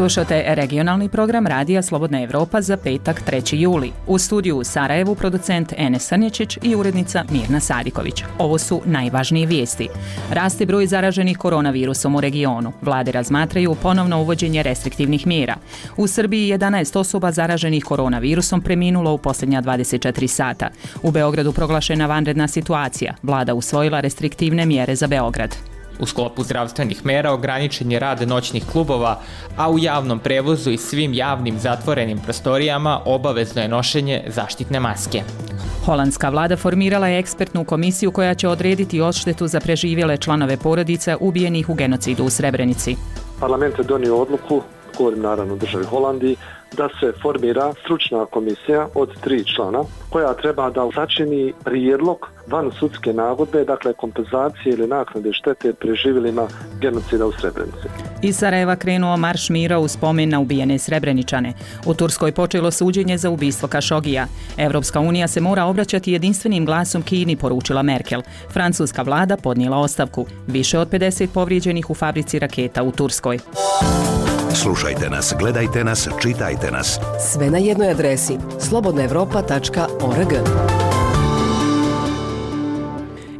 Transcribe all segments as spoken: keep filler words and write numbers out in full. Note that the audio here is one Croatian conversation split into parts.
Slušate regionalni program Radija Slobodna Evropa za petak treći juli. U studiju u Sarajevu producent Enes Srnječić i urednica Mirna Sadiković. Ovo su najvažnije vijesti. Raste broj zaraženih koronavirusom u regionu. Vlade razmatraju ponovno uvođenje restriktivnih mjera. U Srbiji jedanaest osoba zaraženih koronavirusom preminulo u posljednja dvadeset četiri sata. U Beogradu proglašena vanredna situacija. Vlada usvojila restriktivne mjere za Beograd. U sklopu zdravstvenih mera ograničen je rad noćnih klubova, a u javnom prevozu i svim javnim zatvorenim prostorijama obavezno je nošenje zaštitne maske. Holandska vlada formirala je ekspertnu komisiju koja će odrediti odštetu za preživjele članove porodica ubijenih u genocidu u Srebrenici. Parlament je donio odluku, govorim naravno o državi Holandiji, da se formira stručna komisija od tri člana koja treba da sačini prijedlog van sudske nagodbe, dakle kompenzacije ili naknade štete preživjelima genocida u Srebrenici. Iz Sarajeva krenuo marš mira u spomen na ubijene Srebreničane. U Turskoj počelo suđenje za ubistvo Kašogija. Evropska unija se mora obraćati jedinstvenim glasom Kini, poručila Merkel. Francuska vlada podnijela ostavku. Više od pedeset povrijeđenih u fabrici raketa u Turskoj. Slušajte nas, gledajte nas, čitajte nas. Sve na jednoj adresi slobodna evropa tačka org.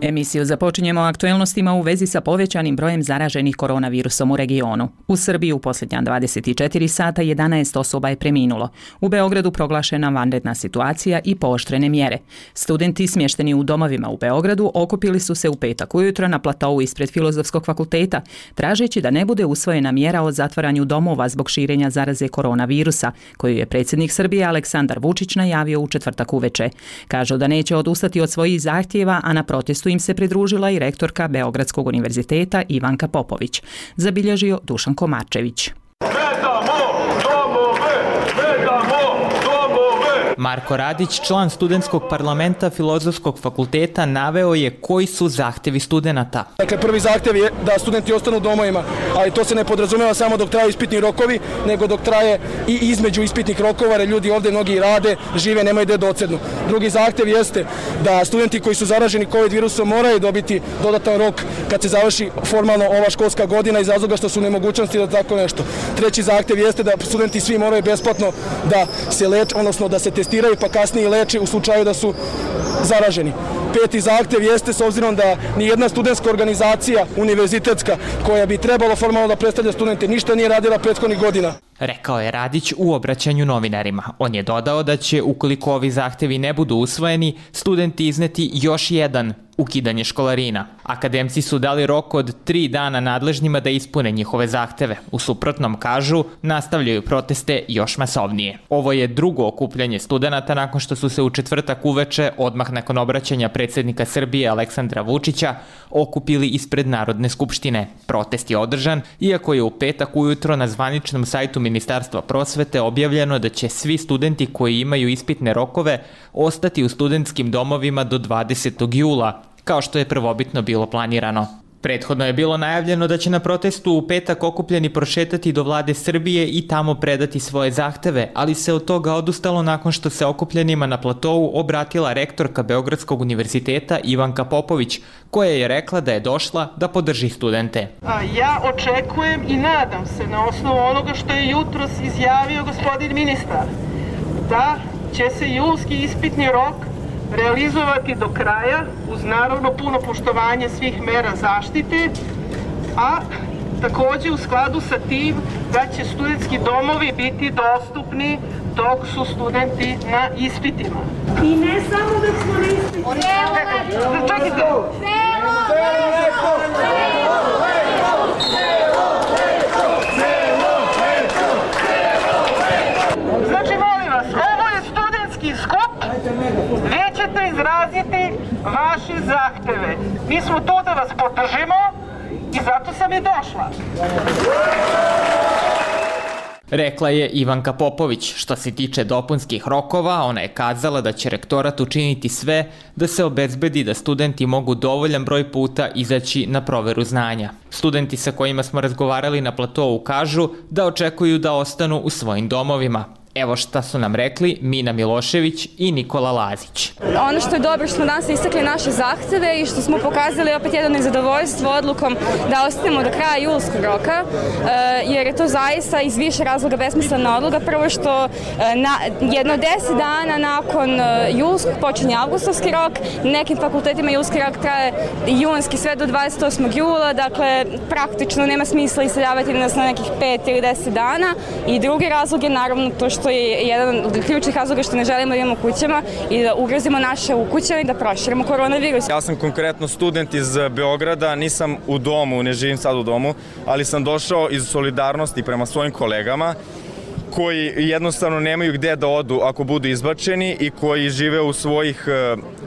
Emisiju započinjemo aktuelnostima u vezi sa povećanim brojem zaraženih koronavirusom u regionu. U Srbiji u posljednja dvadeset četiri sata jedanaest osoba je preminulo. U Beogradu proglašena vanredna situacija i pooštrene mjere. Studenti smješteni u domovima u Beogradu okupili su se u petak ujutro na platou ispred Filozofskog fakulteta, tražeći da ne bude usvojena mjera o zatvaranju domova zbog širenja zaraze koronavirusa, koju je predsjednik Srbije Aleksandar Vučić najavio u četvrtak uveče. Kažu da neće odustati od svojih zahtjeva, a na protestu im se pridružila i rektorka Beogradskog univerziteta Ivanka Popović, zabilježio Dušan Komarčević. Marko Radić, član studentskog parlamenta Filozofskog fakulteta, naveo je koji su zahtjevi studenata. Dakle, prvi zahtjev je da studenti ostanu u domovima, ali to se ne podrazumijeva samo dok traju ispitni rokovi, nego dok traje i između ispitnih rokova, jer ljudi ovdje mnogi rade, žive, nemaju gdje docednu. Drugi zahtjev jeste da studenti koji su zaraženi COVID virusom moraju dobiti dodatan rok kad se završi formalno ova školska godina iz razloga što su u nemogućnosti da tako nešto. Treći zahtjev jeste da studenti svi moraju besplatno da se leče, odnosno da se testiraju pa kasnije leče u slučaju da su zaraženi. Peti zahtjev jeste, s obzirom da nijedna studentska organizacija univerzitetska koja bi trebalo formalno da predstavlja studente ništa nije radila prethodnih godina. Rekao je Radić u obraćanju novinarima. On je dodao da će, ukoliko ovi zahtjevi ne budu usvojeni, studenti izneti još jedan ukidanje školarina. Akademci su dali rok od tri dana nadležnjima da ispune njihove zahteve. U suprotnom, kažu, nastavljaju proteste još masovnije. Ovo je drugo okupljanje studenata nakon što su se u četvrtak uveče, odmah nakon obraćanja predsjednika Srbije Aleksandra Vučića, okupili ispred Narodne skupštine. Protest je održan, iako je u petak ujutro na zvaničnom sajtu Ministarstva prosvete objavljeno da će svi studenti koji imaju ispitne rokove ostati u studentskim domovima do dvadesetog jula, kao što je prvobitno bilo planirano. Prethodno je bilo najavljeno da će na protestu u petak okupljeni prošetati do vlade Srbije i tamo predati svoje zahteve, ali se od toga odustalo nakon što se okupljenima na platovu obratila rektorka Beogradskog univerziteta Ivanka Popović, koja je rekla da je došla da podrži studente. Ja očekujem i nadam se na osnovu onoga što je jutros izjavio gospodin ministar, da će se julski ispitni rok realizovati do kraja uz naravno puno poštovanje svih mera zaštite, a također u skladu sa tim da će studentski domovi biti dostupni dok su studenti na ispitima. I ne samo dok smo na ispitima. Čekajte. Znači, molim vas, ovo je studentski skup, vi ćete izraziti vaše zahteve. Mi smo tu da vas podržimo i zato sam i došla. Rekla je Ivanka Popović. Što se tiče dopunskih rokova, ona je kazala da će rektorat učiniti sve da se obezbedi da studenti mogu dovoljan broj puta izaći na proveru znanja. Studenti sa kojima smo razgovarali na platovu kažu da očekuju da ostanu u svojim domovima. Evo šta su nam rekli Mina Milošević i Nikola Lazić. Ono što je dobro što smo danas istakli naše zahteve i što smo pokazali opet jedno nezadovoljstvo odlukom da ostanemo do kraja julskog roka, jer je to zaista iz više razloga besmislena odluka. Prvo što na, jedno deset dana nakon julskog počinje avgustovski rok, nekim fakultetima julski rok traje junski sve do dvadeset osmog jula, dakle praktično nema smisla iseljavati nas na nekih pet ili deset dana. I drugi razlog je naravno to što je jedan od ključnih razloga što ne želimo da imamo kućama i da ugrozimo naše ukućane i da proširimo koronavirus. Ja sam konkretno student iz Beograda, nisam u domu, ne živim sad u domu, ali sam došao iz solidarnosti prema svojim kolegama koji jednostavno nemaju gde da odu ako budu izbačeni i koji žive u svojih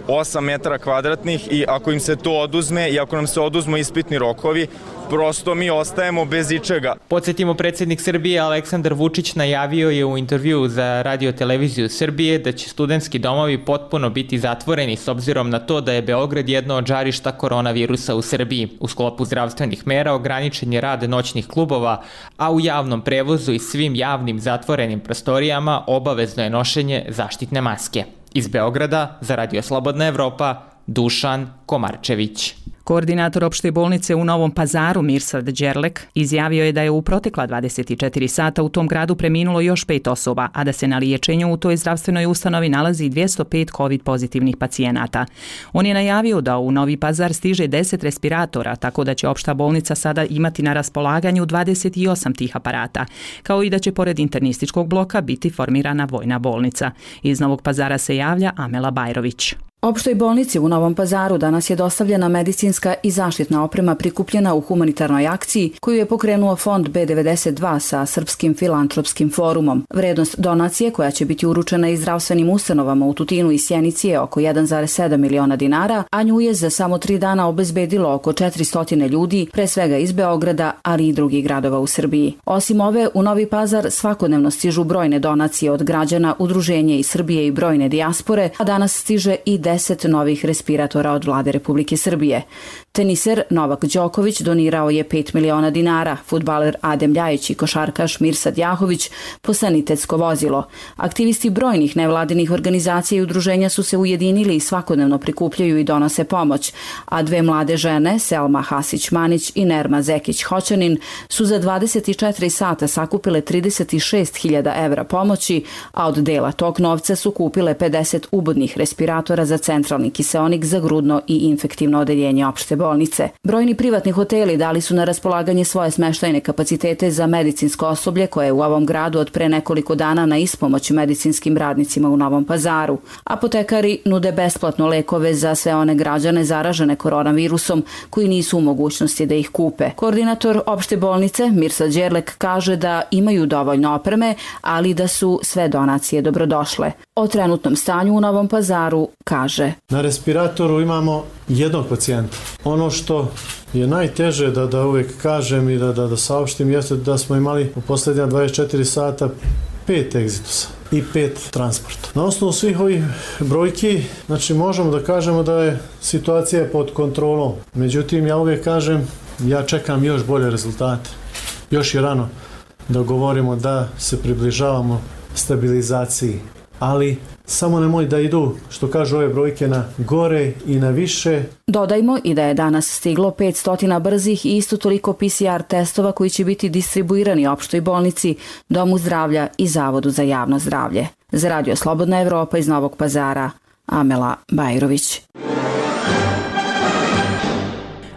osam metara kvadratnih i ako im se to oduzme i ako nam se oduzmu ispitni rokovi, prosto mi ostajemo bez ičega. Podsjetimo, predsjednik Srbije Aleksandar Vučić najavio je u intervjuu za Radio televiziju Srbije da će studentski domovi potpuno biti zatvoreni s obzirom na to da je Beograd jedno od žarišta koronavirusa u Srbiji. U sklopu zdravstvenih mera ograničen je rad noćnih klubova, a u javnom prevozu i svim javnim zatvorenim prostorijama obavezno je nošenje zaštitne maske. Iz Beograda za Radio Slobodna Evropa, Dušan Komarčević. Koordinator opšte bolnice u Novom Pazaru Mirsad Đerlek izjavio je da je u protekla dvadeset četiri sata u tom gradu preminulo još pet osoba, a da se na liječenju u toj zdravstvenoj ustanovi nalazi dvjesto pet COVID pozitivnih pacijenata. On je najavio da u Novi Pazar stiže deset respiratora, tako da će opšta bolnica sada imati na raspolaganju dvadeset osam tih aparata, kao i da će pored internističkog bloka biti formirana vojna bolnica. Iz Novog Pazara se javlja Amela Bajrović. Opštoj bolnici u Novom Pazaru danas je dostavljena medicinska i zaštitna oprema prikupljena u humanitarnoj akciji koju je pokrenuo fond B devedeset dva sa Srpskim filantropskim forumom. Vrednost donacije koja će biti uručena i zdravstvenim ustanovama u Tutinu i Sjenici je oko jedan zarez sedam miliona dinara, a nju je za samo tri dana obezbedilo oko četiristo ljudi, pre svega iz Beograda, ali i drugih gradova u Srbiji. Osim ove, u Novi Pazar svakodnevno stižu brojne donacije od građana, udruženja iz Srbije i brojne dijaspore, a danas stiže i deset novih respiratora od vlade Republike Srbije. Teniser Novak Đoković donirao je pet miliona dinara, fudbaler Adem Ljajić i košarkaš Mirsad Jahović po sanitetsko vozilo. Aktivisti brojnih nevladinih organizacija i udruženja su se ujedinili i svakodnevno prikupljaju i donose pomoć, a dve mlade žene, Selma Hasić-Manić i Nerma Zekić-Hoćanin, su za dvadeset četiri sata sakupile trideset šest hiljada evra pomoći, a od dela tog novca su kupile pedeset ubodnih respiratora za centralni kiseonik za grudno i infektivno odeljenje opšte bolnice. Brojni privatni hoteli dali su na raspolaganje svoje smeštajne kapacitete za medicinsko osoblje koje je u ovom gradu od pre nekoliko dana na ispomoć medicinskim radnicima u Novom Pazaru. Apotekari nude besplatno lekove za sve one građane zaražene koronavirusom koji nisu u mogućnosti da ih kupe. Koordinator opšte bolnice Mirsad Đerlek kaže da imaju dovoljno opreme, ali da su sve donacije dobrodošle. O trenutnom stanju u Novom Pazaru kaže: na respiratoru imamo jednog pacijenta. Ono što je najteže da, da uvijek kažem i da, da, da saopštim jeste da smo imali u posljednja dvadeset četiri sata pet egzitusa i pet transporta. Na osnovu svih ovih brojki, znači možemo da kažemo da je situacija pod kontrolom. Međutim, ja uvijek kažem, ja čekam još bolje rezultate. Još je rano da govorimo da se približavamo stabilizaciji, ali samo nemoj da idu, što kažu ove brojke, na gore i na više. Dodajmo i da je danas stiglo petsto brzih i isto toliko P C R testova koji će biti distribuirani opštoj bolnici, Domu zdravlja i Zavodu za javno zdravlje. Za Radio Slobodna Evropa iz Novog Pazara, Amela Bajrović.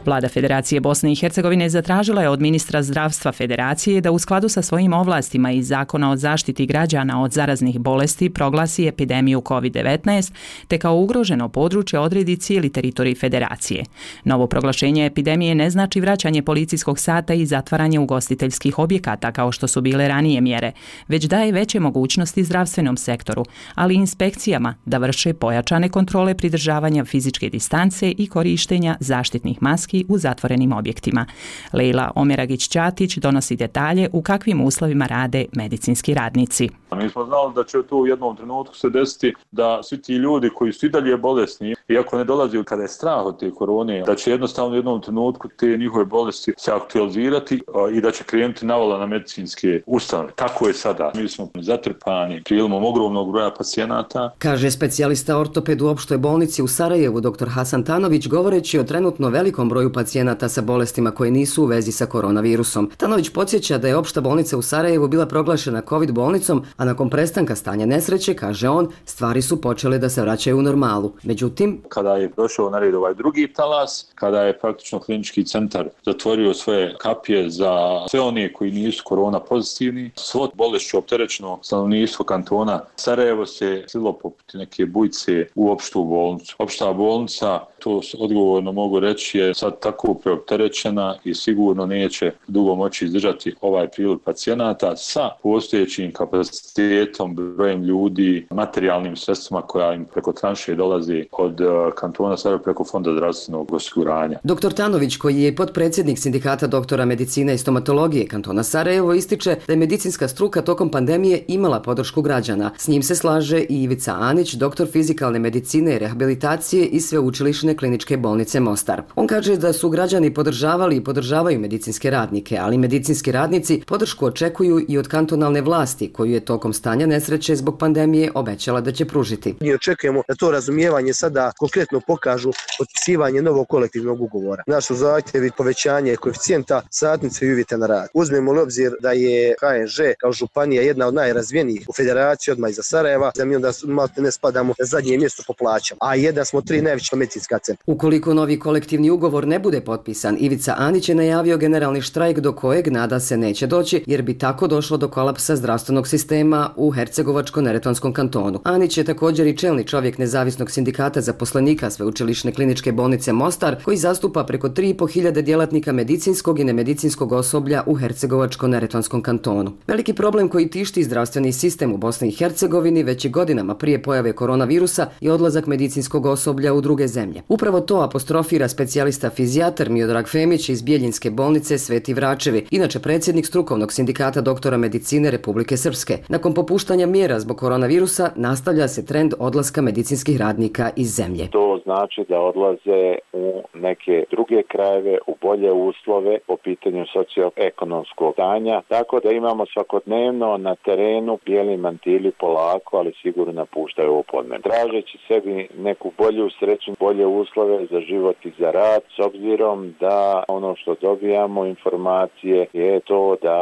Vlada Federacije Bosne i Hercegovine zatražila je od ministra zdravstva Federacije da u skladu sa svojim ovlastima iz Zakona o zaštiti građana od zaraznih bolesti proglasi epidemiju COVID devetnaest te kao ugroženo područje odredi cijeli teritorij Federacije. Novo proglašenje epidemije ne znači vraćanje policijskog sata i zatvaranje ugostiteljskih objekata kao što su bile ranije mjere, već daje veće mogućnosti zdravstvenom sektoru, ali i inspekcijama da vrše pojačane kontrole pridržavanja fizičke distance i korištenja zaštitnih maski čak i u zatvorenim objektima. Leila Omeragić-Ćatić donosi detalje u kakvim uslovima rade medicinski radnici. Mi smo znali da će to u jednom trenutku se desiti da svi ti ljudi koji su i dalje bolesni, iako ne dolazi kada je strah od te korone, da će jednostavno u jednom trenutku te njihove bolesti se aktualizirati i da će krenuti navala na medicinske ustanove. Tako je sada. Mi smo zatrpani prilomom ogromnog broja pacijenata. Kaže specijalista ortoped u opštoj bolnici u Sarajevu dr Hasan Tanović govoreći o trenutno velikom broju pacijenata sa bolestima koje nisu u vezi sa koronavirusom. Tanović podsjeća da je opšta bolnica u Sarajevu bila proglašena COVID bolnicom, a nakon prestanka stanja nesreće, kaže on, stvari su počele da se vraćaju u normalu. Međutim, kada je došao na red ovaj drugi talas, kada je praktično klinički centar zatvorio svoje kapije za sve one koji nisu korona pozitivni, svo bolešću opterećeno stanovništvo kantona Sarajevo se slilo poput neke bujice u opštu bolnicu. Opšta bolnica, to odgovorno mogu reći, je sad tako preopterećena i sigurno neće dugo moći izdržati ovaj priliv pacijenata sa postojećim kapacitetom, brojem ljudi, materijalnim sredstvima koja im preko tranše dolazi od kantona Sarajevo preko Fonda zdravstvenog osiguranja. Doktor Tanović, koji je potpredsjednik Sindikata doktora medicine i stomatologije kantona Sarajevo, ističe da je medicinska struka tokom pandemije imala podršku građana. S njim se slaže i Ivica Anić, doktor fizikalne medicine i rehabilitacije iz Sveučilišne kliničke bolnice Mostar. On kaže da su građani podržavali i podržavaju medicinske radnike, ali medicinski radnici podršku očekuju i od kantonalne vlasti, koju je tokom stanja nesreće zbog pandemije obećala da će pružiti. Mi očekujemo da to razumijevanje sada konkretno pokažu potpisivanje novog kolektivnog ugovora. Naš su zahtjevi povećanje koeficijenta satnice i uvjeta na rad. Uzmemo li obzir da je H N Ž kao županija jedna od najrazvijenijih u federaciji odmah iza Sarajeva, da mi onda malo ne spadamo na zadnje mjesto po plaćama, a jedan smo tri najveća medicinska centra. Ukoliko novi kolektivni ugovor ne bude potpisan, Ivica Anić je najavio generalni štrajk do kojeg nada se neće doći, jer bi tako došlo do kolapsa zdravstvenog sistema u Hercegovačko-neretvanskom kantonu. Anić je također i čelni čovjek nezavisnog sindikata zaposlenika Sveučilišne kliničke bolnice Mostar, koji zastupa preko tri i po hiljade djelatnika medicinskog i nemedicinskog osoblja u Hercegovačko-neretvanskom kantonu. Veliki problem koji tišti zdravstveni sistem u Bosni i Hercegovini već i godinama prije pojave koronavirusa je odlazak medicinskog osoblja u druge zemlje. Upravo to apostrofira specijalista fizijatar Miodrag Femić iz Bijeljinske bolnice Sveti Vračevi, inače predsjednik strukovnog sindikata doktora medicine Republike Srpske. Nakon popuštanja mjera zbog koronavirusa nastavlja se trend odlaska medicinskih radnika iz zemlje. To znači da odlaze u neke druge krajeve, u bolje uslove po pitanju socioekonomskog stanja, tako da imamo svakodnevno na terenu bijeli mantili polako, ali sigurno napuštaju ovo podneblje. Tražeći sebi neku bolju sreću, bolje uslove za život i za rad, s obzirom da ono što dobijamo informacije je to da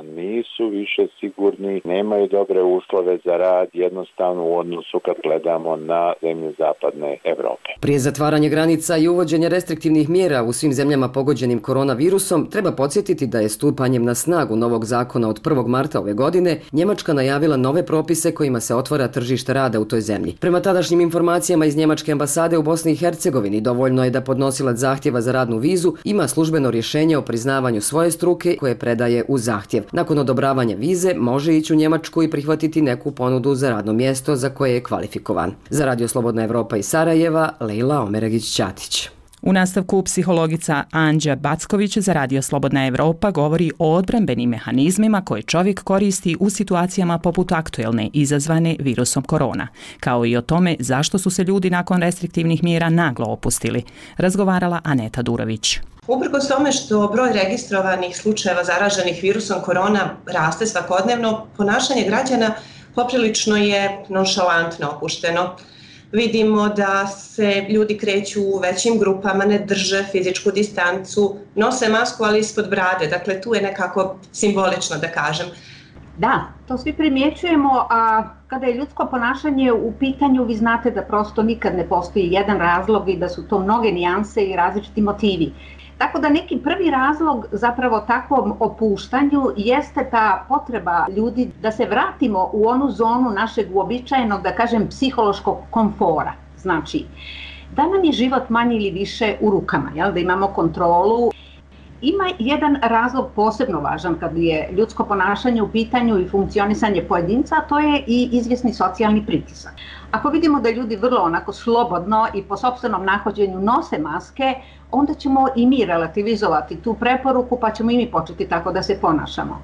nisu više sigurni, nemaju dobre uslove za rad, jednostavno u odnosu kad gledamo na zemlje zapadne Evrope. Prije zatvaranja granica i uvođenja restriktivnih mjera u svim zemljama pogođenim koronavirusom, treba podsjetiti da je stupanjem na snagu novog zakona od prvog marta ove godine Njemačka najavila nove propise kojima se otvara tržište rada u toj zemlji. Prema tadašnjim informacijama iz Njemačke ambasade u Bosni i Hercegovini dovoljno je da podnosilac zahtjeva za radnu vizu ima službeno rješenje o priznavanju svoje struke koje predaje u zahtjev. Nakon odobravanja vize može ići u Njemačku i prihvatiti neku ponudu za radno mjesto za koje je kvalifikovan. Za Radio Slobodna Evropa iz Sarajeva, Leila Omeragić-Ćatić. U nastavku psihologica Anđa Backović za Radio Slobodna Evropa govori o odbrambenim mehanizmima koje čovjek koristi u situacijama poput aktuelne izazvane virusom korona, kao i o tome zašto su se ljudi nakon restriktivnih mjera naglo opustili. Razgovarala Aneta Durović. Uprkos tome što broj registrovanih slučajeva zaraženih virusom korona raste svakodnevno, ponašanje građana poprilično je nonšalantno opušteno. Vidimo da se ljudi kreću u većim grupama, ne drže fizičku distancu, nose masku ali ispod brade, dakle tu je nekako simbolično da kažem. Da, to svi primjećujemo, a kada je ljudsko ponašanje u pitanju, vi znate da prosto nikad ne postoji jedan razlog i da su to mnoge nijanse i različiti motivi. Tako da neki prvi razlog zapravo takvom opuštanju jeste ta potreba ljudi da se vratimo u onu zonu našeg uobičajenog, da kažem, psihološkog komfora. Znači, da nam je život manje ili više u rukama, jel? Da imamo kontrolu. Ima jedan razlog posebno važan kad je ljudsko ponašanje u pitanju i funkcionisanje pojedinca, a to je i izvjesni socijalni pritisak. Ako vidimo da ljudi vrlo onako slobodno i po sopstvenom nahođenju nose maske, onda ćemo i mi relativizovati tu preporuku pa ćemo i mi početi tako da se ponašamo.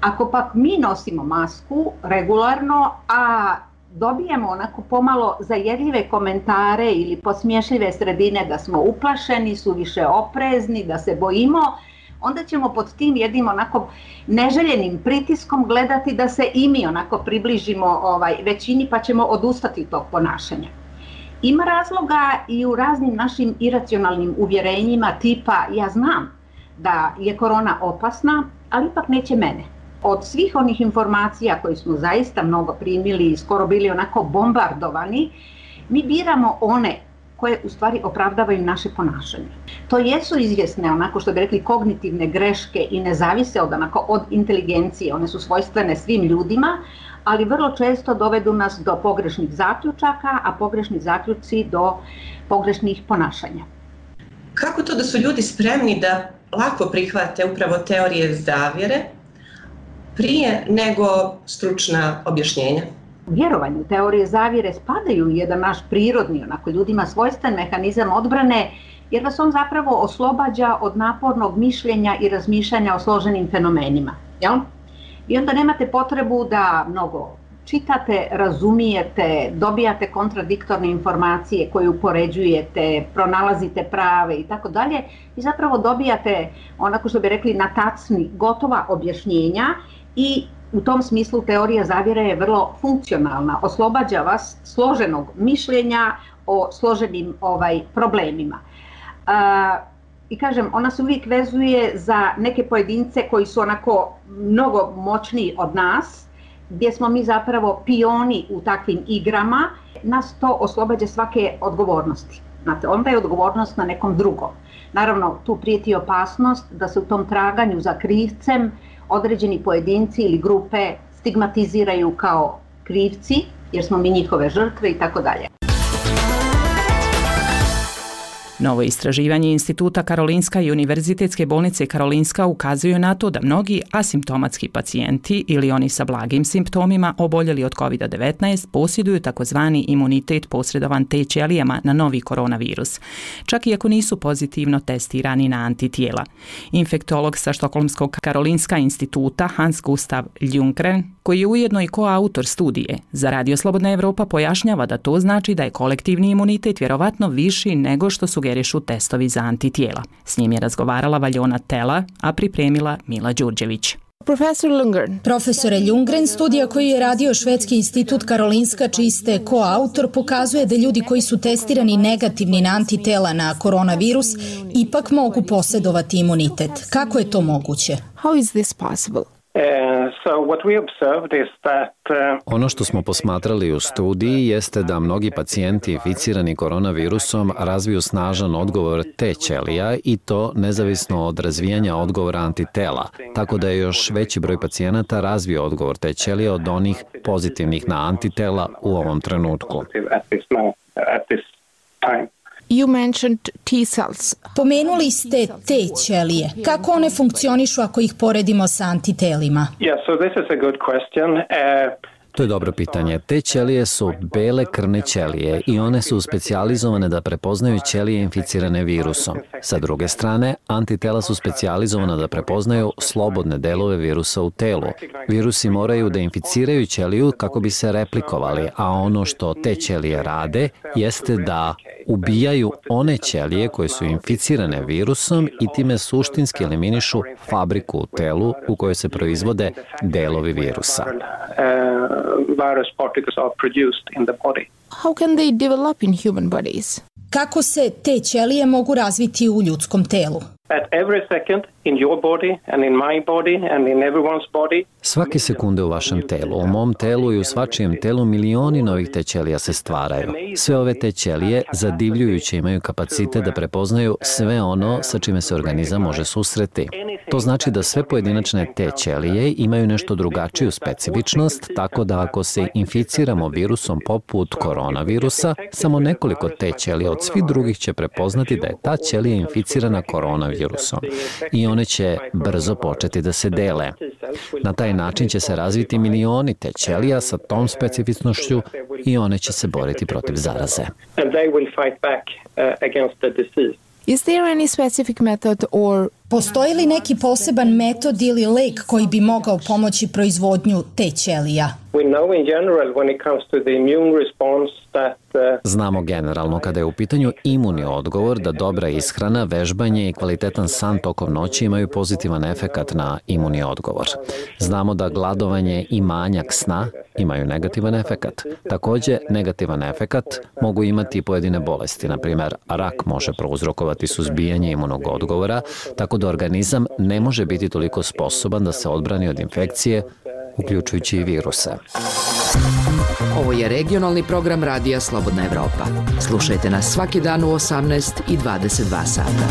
Ako pak mi nosimo masku regularno, a dobijemo onako pomalo zajedljive komentare ili posmiješljive sredine da smo uplašeni, suviše oprezni, da se bojimo, onda ćemo pod tim jednim onako neželjenim pritiskom gledati da se i mi onako približimo ovaj, većini pa ćemo odustati tog ponašanja. Ima razloga i u raznim našim iracionalnim uvjerenjima tipa ja znam da je korona opasna, ali ipak neće mene. Od svih onih informacija koje smo zaista mnogo primili i skoro bili onako bombardovani, mi biramo one koje u stvari opravdavaju naše ponašanje. To jesu izvjesne, onako što bi rekli, kognitivne greške i ne zavise od, onako, od inteligencije, one su svojstvene svim ljudima, ali vrlo često dovedu nas do pogrešnih zaključaka, a pogrešni zaključci do pogrešnih ponašanja. Kako to da su ljudi spremni da lako prihvate upravo teorije zavjere prije nego stručna objašnjenja? Vjerovanje u teorije zavjere spadaju u jedan naš prirodni, onako ljudima svojstven mehanizam odbrane, jer vas on zapravo oslobađa od napornog mišljenja i razmišljanja o složenim fenomenima. Jel? I onda nemate potrebu da mnogo čitate, razumijete, dobijate kontradiktorne informacije koje upoređujete, pronalazite prave i tako dalje i zapravo dobijate, onako što bi rekli, na tacni gotova objašnjenja i u tom smislu teorija zavjere je vrlo funkcionalna, oslobađa vas složenog mišljenja o složenim ovaj, problemima. A, I kažem, ona se uvijek vezuje za neke pojedince koji su onako mnogo moćniji od nas, gdje smo mi zapravo pioni u takvim igrama, nas to oslobađa svake odgovornosti. Znate, onda je odgovornost na nekom drugom. Naravno, tu prijeti opasnost da se u tom traganju za krivcem određeni pojedinci ili grupe stigmatiziraju kao krivci, jer smo mi njihove žrtve i tako dalje. Novo istraživanje Instituta Karolinska i Univerzitetske bolnice Karolinska ukazuje na to da mnogi asimptomatski pacijenti ili oni sa blagim simptomima oboljeli od kovid devetnaest posjeduju takozvani imunitet posredovan T ćelijama na novi koronavirus, čak i ako nisu pozitivno testirani na antitijela. Infektolog sa Štokholmskog Karolinska instituta Hans Gustav Ljunggren, koji je ujedno i koautor studije za Radio Slobodna Evropa, pojašnjava da to znači da je kolektivni imunitet vjerovatno viši nego što sugerišu testovi za antitijela. S njim je razgovarala Valjona Tela, a pripremila Mila Đurđević. Profesor Ljunggren. Profesore Ljunggren, studija koju je radio Švedski institut Karolinska, čiji ste koautor, pokazuje da ljudi koji su testirani negativni na antitela na koronavirus ipak mogu posjedovati imunitet. Kako je to moguće? How is this possible? Ono što smo posmatrali u studiji jeste da mnogi pacijenti inficirani koronavirusom razviju snažan odgovor T ćelija i to nezavisno od razvijanja odgovora antitela, tako da je još veći broj pacijenata razvio odgovor T ćelija od onih pozitivnih na antitela u ovom trenutku. You mentioned T cells. Pomenuli ste T ćelije. Kako one funkcionišu ako ih poredimo sa antitelima? Yeah, so this is a good question. Uh... To je dobro pitanje. Te ćelije su bele krvne ćelije i one su specijalizovane da prepoznaju ćelije inficirane virusom. Sa druge strane, antitela su specijalizovana da prepoznaju slobodne delove virusa u telu. Virusi moraju da inficiraju ćeliju kako bi se replikovali, a ono što te ćelije rade jeste da ubijaju one ćelije koje su inficirane virusom i time suštinski eliminišu fabriku u telu u kojoj se proizvode delovi virusa. Virus particles are produced in the body. How can they develop in human bodies? Kako se te ćelije mogu razviti u ljudskom telu? At every second in your body and in my body and in everyone's body. Svake sekunde u vašem telu, u mom telu i u svačijem telu milioni novih te ćelija se stvaraju. Sve ove te ćelije zadivljujuće imaju kapacitet da prepoznaju sve ono sa čime se organizam može susreti. To znači da sve pojedinačne te ćelije imaju nešto drugačiju specifičnost, tako da ako se inficiramo virusom poput koronavirusa, samo nekoliko te ćelija od svih drugih će prepoznati da je ta ćelija inficirana koronavirusom. I one će brzo početi da se dele. Na taj način će se razviti milioni te ćelija sa tom specifičnošću i one će se boriti protiv zaraze. Is there any specific method or Postoji li neki poseban metod ili lek koji bi mogao pomoći proizvodnju te ćelija? Znamo generalno kada je u pitanju imunni odgovor da dobra ishrana, vežbanje i kvalitetan san tokom noći imaju pozitivan efekat na imunni odgovor. Znamo da gladovanje i manjak sna imaju negativan efekat. Takođe, negativan efekat mogu imati pojedine bolesti, na primjer rak može prouzrokovati suzbijanje imunog odgovora, tako da organizam ne može biti toliko sposoban da se odbrani od infekcije, uključujući i viruse. Ovo je regionalni program Radija Slobodna Evropa. Slušajte nas svaki dan u osamnaest i dvadeset dva sata.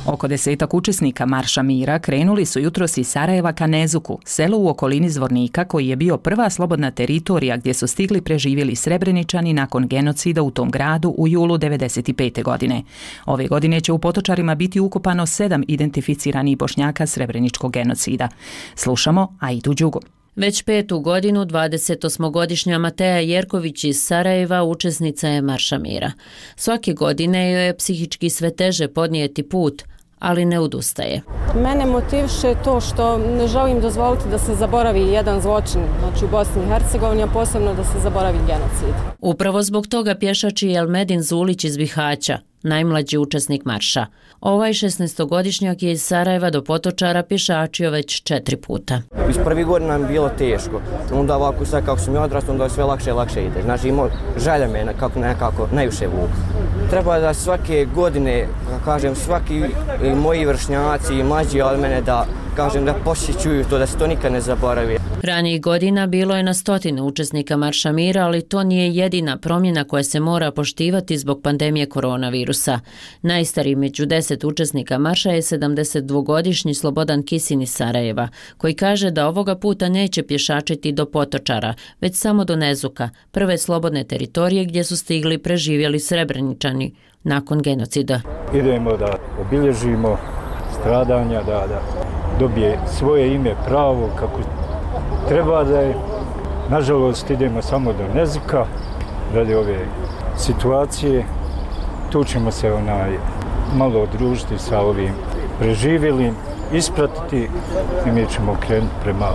Oko desetak učesnika Marša mira krenuli su jutros iz Sarajeva ka Nezuku, selu u okolini Zvornika koji je bio prva slobodna teritorija gdje su stigli preživjeli Srebreničani nakon genocida u tom gradu u julu devedeset pete. godine. Ove godine će u Potočarima biti ukopano sedam identificiranih Bošnjaka srebreničkog genocida. Slušamo Aidu Đugu. Već petu godinu dvadesetosmogodišnja Mateja Jerković iz Sarajeva učesnica je Marša mira. Svake godine joj je psihički sve teže podnijeti put, ali ne odustaje. Mene motiviše to što ne želim dozvoliti da se zaboravi jedan zločin, znači u Bosni i Hercegovini, a posebno da se zaboravi genocid. Upravo zbog toga pješači Elmedin Zulić iz Bihaća, najmlađi učesnik marša. Ovaj šesnaestogodišnjak je iz Sarajeva do Potočara pješačio već četiri puta. Iz prvi godina nam je bilo teško, onda ovako sad kako sam ja odrastao, onda sve lakše i lakše ide. Znači imao želja me kako nekako najviše vuku. Treba da svake godine, kažem, svaki moji vršnjaci i mlađi od mene da kažem da posjećuju to, da se to nikad ne zaboravi. Ranijih godina bilo je na stotine učesnika Marša mira, ali to nije jedina promjena koja se mora poštivati zbog pandemije koronavirusa. Najstariji među deset učesnika marša je sedamdesetdvogodišnji Slobodan Kisin iz Sarajeva, koji kaže da ovoga puta neće pješačiti do Potočara, već samo do Nezuka, prve slobodne teritorije gdje su stigli preživjeli Srebreničani nakon genocida. Idemo da obilježimo stradanja, da, da dobije svoje ime pravo kako treba da je. Nažalost idemo samo do Nezuka radi ove situacije. Tu ćemo se onaj malo odružiti sa ovim preživjelim, ispratiti i mi ćemo krenuti prema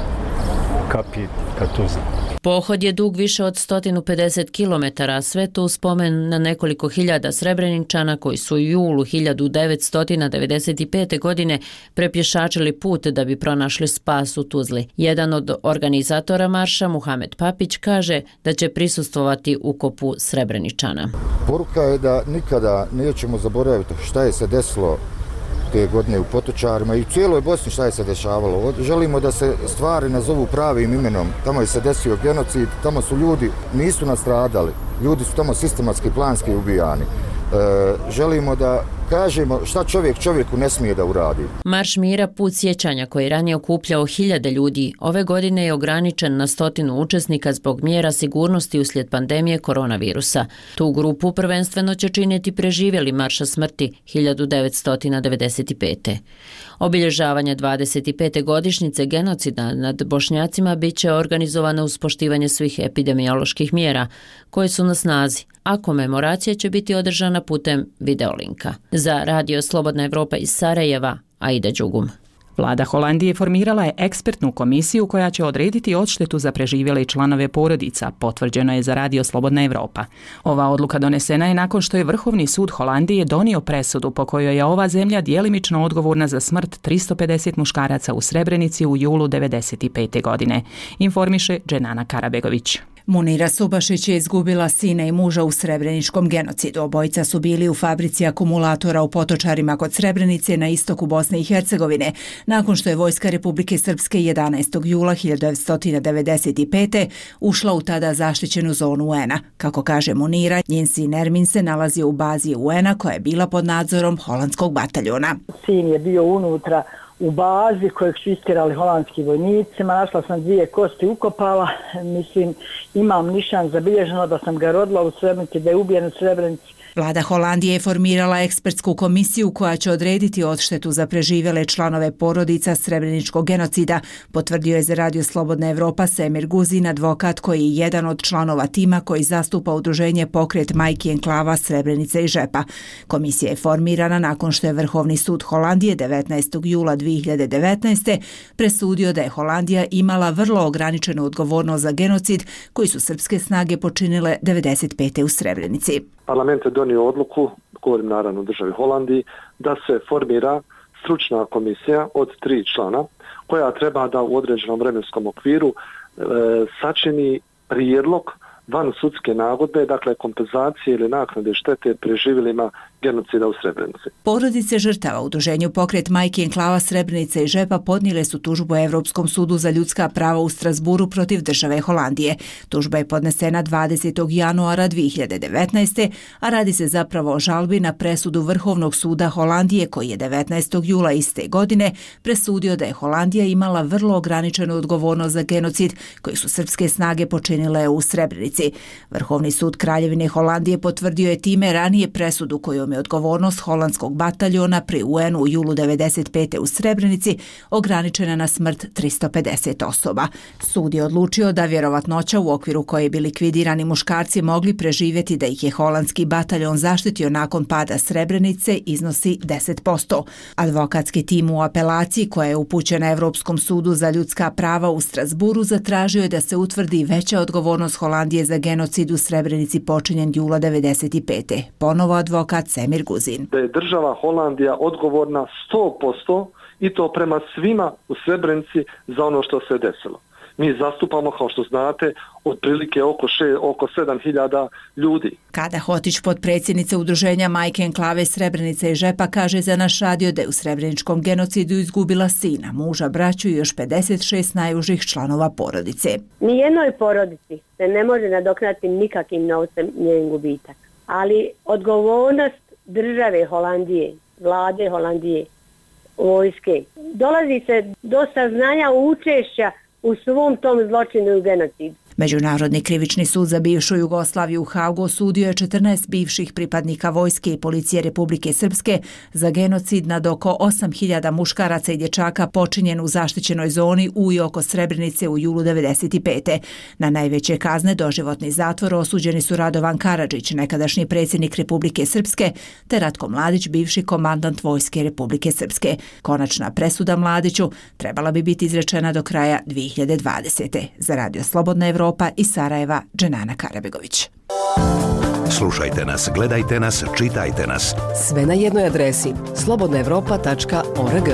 kapiji ka Tuzli. Pohod je dug više od sto pedeset kilometara, sve to u spomen na nekoliko hiljada Srebreničana koji su u julu hiljadu devetsto devedeset pete. godine prepješačili put da bi pronašli spas u Tuzli. Jedan od organizatora marša, Muhamed Papić, kaže da će prisustvovati ukopu Srebreničana. Poruka je da nikada nećemo zaboraviti šta je se desilo te godine u Potočarima i u cijeloj Bosni šta je se dešavalo. Želimo da se stvari nazovu pravim imenom. Tamo je se desio genocid, tamo su ljudi, nisu nastradali, ljudi su tamo sistematski, planski ubijani. E, želimo da kažemo šta čovjek čovjeku ne smije da uradi. Marš mira, put sjećanja koji je ranije okupljao hiljade ljudi, ove godine je ograničen na stotinu učesnika zbog mjera sigurnosti uslijed pandemije koronavirusa. Tu grupu prvenstveno će činiti preživjeli marša smrti hiljadu devetsto devedeset pete. Obilježavanje dvadeset pete godišnjice genocida nad Bošnjacima bit će organizovano uz poštivanje svih epidemioloških mjera koje su na snazi, a komemoracija će biti održana putem videolinka. Za Radio Slobodna Evropa iz Sarajeva, Aida Đugum. Vlada Holandije formirala je ekspertnu komisiju koja će odrediti odštetu za preživjele članove porodica, potvrđeno je za Radio Slobodna Evropa. Ova odluka donesena je nakon što je Vrhovni sud Holandije donio presudu po kojoj je ova zemlja djelimično odgovorna za smrt tristo pedeset muškaraca u Srebrenici u julu devedeset pete. godine, informiše Dženana Karabegović. Munira Subašić je izgubila sina i muža u srebreničkom genocidu. Obojica su bili u fabrici akumulatora u Potočarima kod Srebrenice na istoku Bosne i Hercegovine, nakon što je Vojska Republike Srpske jedanaestog jula hiljadu devetsto devedeset pete. ušla u tada zaštićenu zonu U N-a. Kako kaže Munira, njen sin Ermin se nalazi u bazi U N-a koja je bila pod nadzorom holandskog bataljona. Sin je bio unutra u bazi kojeg su istirali holandski vojnicima, našla sam dvije kosti ukopala, mislim imam nišan zabilježeno da sam ga rodila u Srebrenici, da je ubijen u Srebrenici, Vlada Holandije je formirala ekspertsku komisiju koja će odrediti odštetu za preživjele članove porodica srebreničkog genocida, potvrdio je za Radio Slobodna Evropa Semir Guzin, advokat koji je jedan od članova tima koji zastupa udruženje Pokret majki enklava Srebrenice i Žepa. Komisija je formirana nakon što je Vrhovni sud Holandije devetnaestog jula dvije hiljade devetnaeste. presudio da je Holandija imala vrlo ograničenu odgovornost za genocid koji su srpske snage počinile devedeset pete u Srebrenici. Parlament je donio odluku, govorim naravno o državi Holandiji, da se formira stručna komisija od tri člana koja treba da u određenom vremenskom okviru e, sačini prijedlog van sudske nagodbe, dakle kompenzacije ili naknade štete preživjelima genocida u Srebrenici. Porodice žrtava u udruženju Pokret majki enklava Srebrenice i Žepa podnijele su tužbu Evropskom sudu za ljudska prava u Strasburu protiv države Holandije. Tužba je podnesena dvadesetog januara dvije hiljade devetnaeste. a radi se zapravo o žalbi na presudu Vrhovnog suda Holandije koji je devetnaestog jula iste godine presudio da je Holandija imala vrlo ograničenu odgovornost za genocid koji su srpske snage počinile u Srebrenici. Vrhovni sud Kraljevine Holandije potvrdio je time ranije presudu kojom je odgovornost holandskog bataljona pri U N-u u julu devedeset pete u Srebrenici ograničena na smrt tristo pedeset osoba. Sud je odlučio da vjerovatnoća u okviru koje bi likvidirani muškarci mogli preživjeti da ih je holandski bataljon zaštitio nakon pada Srebrenice iznosi deset posto. Advokatski tim u apelaciji koja je upućena Evropskom sudu za ljudska prava u Strasburu zatražio je da se utvrdi veća odgovornost Holandije za genocid u Srebrenici počinjen jula devedeset pete. Ponovo advokat Semir Guzin. Da je država Holandija odgovorna sto posto i to prema svima u Srebrenici za ono što se desilo. Mi zastupamo, kao što znate, otprilike oko, še, oko sedam hiljada ljudi. Kada Hotić, potpredsjednica udruženja Majke enklave Srebrenice i Žepa, kaže za naš radio da je u srebreničkom genocidu izgubila sina, muža, braću i još pedeset šest najužih članova porodice. Nijednoj porodici se ne može nadoknati nikakvim novcem njen gubitak. Ali odgovornost države Holandije, vlade Holandije, vojske, dolazi se do saznanja učešća u svom tom zločinu i genocidu. Međunarodni krivični sud za bivšu Jugoslaviju u Hagu osudio je četrnaest bivših pripadnika vojske i policije Republike Srpske za genocid nad oko osam hiljada muškaraca i dječaka počinjen u zaštićenoj zoni u i oko Srebrenice u julu devedeset pete. Na najveće kazne doživotni zatvor osuđeni su Radovan Karadžić, nekadašnji predsjednik Republike Srpske, te Ratko Mladić, bivši komandant vojske Republike Srpske. Konačna presuda Mladiću trebala bi biti izrečena do kraja dvije hiljade dvadesete. Za Radio Slobodna Evropa iz Sarajeva, Dženana Karabegović. Slušajte nas, gledajte nas, čitajte nas. Sve na jednoj adresi slobodna evropa tačka org.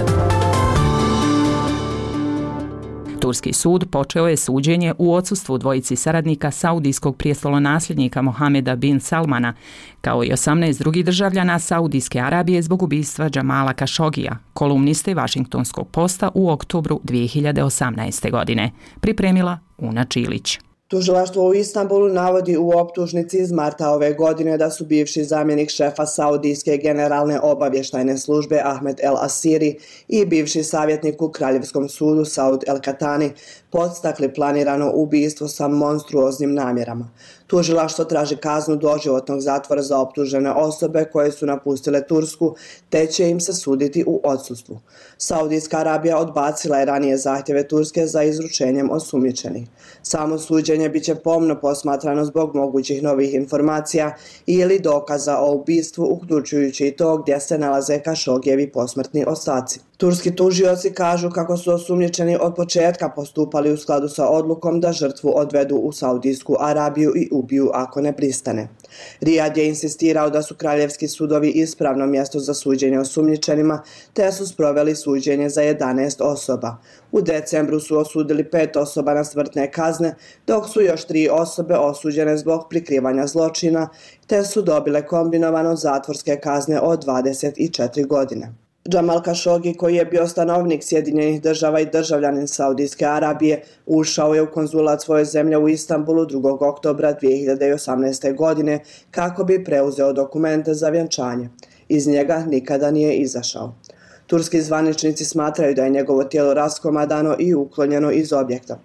Turski sud počeo je suđenje u odsustvu dvojici saradnika saudijskog prijestolonasljednika Mohameda bin Salmana, kao i osamnaest drugih državljana Saudijske Arabije zbog ubistva Džamala Kašogija, kolumniste Washingtonskog posta u oktobru dvije hiljade osamnaeste. godine. Pripremila Una Čilić. Tužilaštvo u Istanbulu navodi u optužnici iz marta ove godine da su bivši zamjenik šefa Saudijske generalne obavještajne službe Ahmed El Asiri i bivši savjetnik u Kraljevskom sudu Saud El Katani podstakli planirano ubistvo sa monstruoznim namjerama. Tužilaštvo traži kaznu doživotnog zatvora za optužene osobe koje su napustile Tursku, te će im se suditi u odsustvu. Saudijska Arabija odbacila je ranije zahtjeve Turske za izručenjem osumnjičenih. Samo suđenje biće pomno posmatrano zbog mogućih novih informacija ili dokaza o ubistvu, uključujući i to gdje se nalaze Kašogijevi posmrtni ostaci. Turski tužioci kažu kako su osumnjičeni od početka postupali u skladu sa odlukom da žrtvu odvedu u Saudijsku Arabiju i ubiju ako ne pristane. Rijad je insistirao da su kraljevski sudovi ispravno mjesto za suđenje osumnjičenima, te su sproveli suđenje za jedanaest osoba. U decembru su osudili pet osoba na smrtne kazne, dok su još tri osobe osuđene zbog prikrivanja zločina, te su dobile kombinovano zatvorske kazne od dvadeset četiri godine. Džamal Kašogi, koji je bio stanovnik Sjedinjenih država i državljanin Saudijske Arabije, ušao je u konzulat svoje zemlje u Istanbulu drugog oktobra dvije hiljade osamnaeste. godine kako bi preuzeo dokumente za vjenčanje. Iz njega nikada nije izašao. Turski zvaničnici smatraju da je njegovo tijelo raskomadano i uklonjeno iz objekta.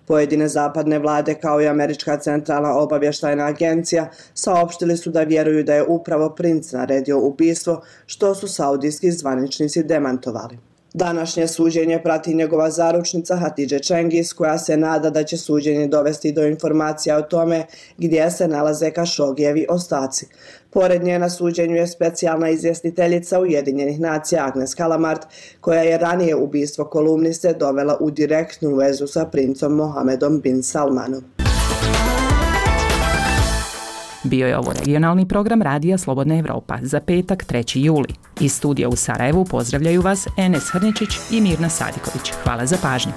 Pojedine zapadne vlade kao i Američka centralna obavještajna agencija saopštili su da vjeruju da je upravo princ naredio ubistvo, što su saudijski zvaničnici demantovali. Današnje suđenje prati njegova zaručnica Hatidže Cengiz, koja se nada da će suđenje dovesti do informacija o tome gdje se nalaze Kašogijevi ostaci. Pored nje na suđenju je specijalna izvjestiteljica Ujedinjenih nacija Agnes Kalamart, koja je ranije ubistvo kolumniste dovela u direktnu vezu sa princom Mohamedom bin Salmanom. Bio je ovo regionalni program Radija Slobodna Evropa za petak treći juli. Iz studija u Sarajevu pozdravljaju vas Enes Hrničić i Mirna Sadiković. Hvala za pažnju.